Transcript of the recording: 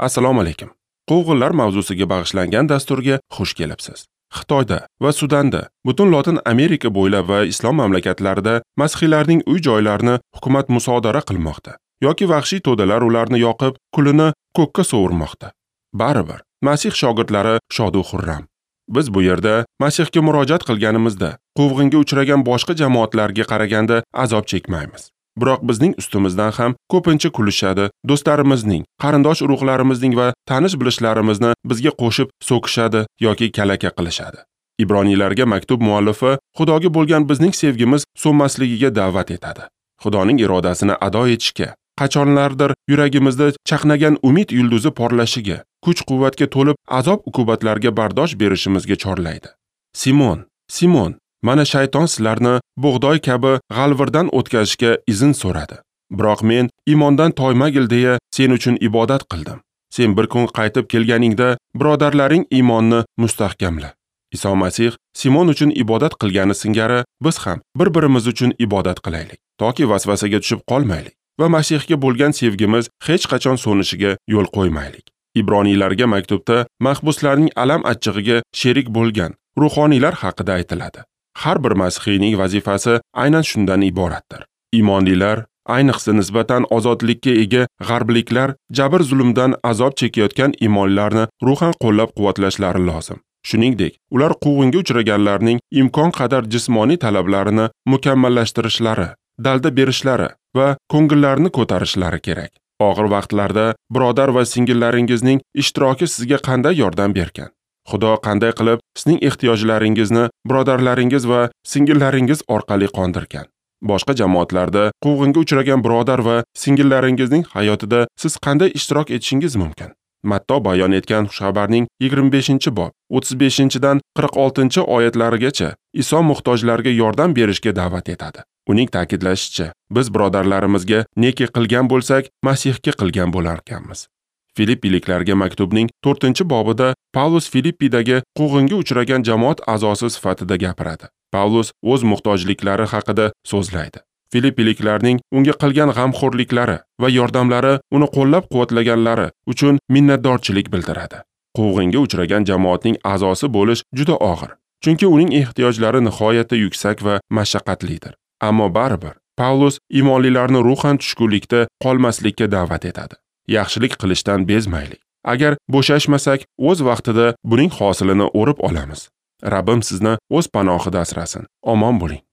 Assalomu alaykum. Quvg'inlar mavzusiga bag'ishlangan dasturga xush kelibsiz. Xitoyda va Sudanda, butun Lotin Amerika bo'ylab va islom mamlakatlarida masihiylarning uy-joylarini hukumat musodara qilmoqda yoki vahshiy to'dalar ularni yoqib, kulini ko'kka sovurmoqda. Baribir Masih shogirdlari shodu xurram. Biz bu yerda Masihga murojaat qilganimizda quvg'inga uchragan boshqa jamoatlarga qaraganda azob chekmaymiz. Biroq bizning ustimizdan ham ko'pincha kulishadi, do'stlarimizning, qarindosh urug'larimizning va tanish bilishlarimizni bizga qo'shib so'kishadi yoki kalaka qilishadi. Ibroniylarga maktub muallifi Xudoga bo'lgan bizning sevgimiz so'nmasligiga da'vat etadi. Xudoning irodasini ado etishga, qachonlardir yuragimizda chaqnagan umid yulduzi porlashiga, kuch-quvvatga to'lib azob-uqubatlarga bardosh berishimizga chorlaydi. Simon, Simon, mana shayton sizlarni bug'doy kabi g'alvirdan o'tkazishga izn so'radi. Biroq men iymondan toymagil deya sen uchun ibodat qildim. Sen bir kun qaytib kelganingda birodarlaring iymonni mustahkamla. Iso Masih Simon uchun ibodat qilgani singari biz ham bir-birimiz uchun ibodat qilaylik, toki vasvasaga tushib qolmaylik va Masihga bo'lgan sevgimiz hech qachon so'nishiga yo'l qo'ymaylik. Ibroniylarga maktubda mahbuslarning alam achchig'iga sherik bo'lgan ruhoniylar haqida aytiladi. Har bir masihiyning vazifasi aynan shundan iboratdir. Iymonlilar, ayniqsa nisbatan ozodlikka ega g'arbliklar jabr-zulmdan azob chekayotgan iymonlarni ruhan qo'llab-quvvatlashlari lozim. Shuningdek, ular quvg'inga uchraganlarning imkon qadar jismoniy talablarini mukammallashtirishlari, dalda berishlari va ko'ngillarini ko'tarishlari kerak. Og'ir vaqtlarda birodar va singillaringizning ishtiroki sizga qanday yordam bergan? Xudo qanday qilib sizning ehtiyojlaringizni birodarlaringiz va singillaringiz orqali qondirgan? Boshqa jamoatlarda quvg'inga uchragan birodar va singillaringizning hayotida siz qanday ishtirok etishingiz mumkin? Matto bayon etgan xushxabarning 25-bob 35-dan 46-oyatlarigacha Iso muhtojlarga yordam berishga da'vat etadi. Uning ta'kidlashicha, biz birodarlarimizga neki qilgan bo'lsak, Masihga qilgan bo'larkanmiz. Filippiliklarga maktubning 4-bobida Pavlus Filippidagi quvg'inga uchragan jamoat a'zosi sifatida gapiradi. Pavlus o'z muhtojliklari haqida so'zlaydi. Filippiliklarning unga qilgan g'amxo'rliklari va yordamlari, uni qo'llab-quvvatlaganlari uchun minnatdorchilik bildiradi. Quvg'inga uchragan jamoatning a'zosi bo'lish juda og'ir, chunki uning ehtiyojlari nihoyatda yuksak va mashaqqatlidir. Ammo baribir Pavlus iymonlilarni ruhan tushkunlikda qolmaslikka da'vat etadi. Yaxshilik qilishdan bezmaylik. Agar bo'shashmasak, o'z vaqtida buning hosilini o'rib olamiz. Rabbim sizni o'z panohida asrasin. Omon bo'ling.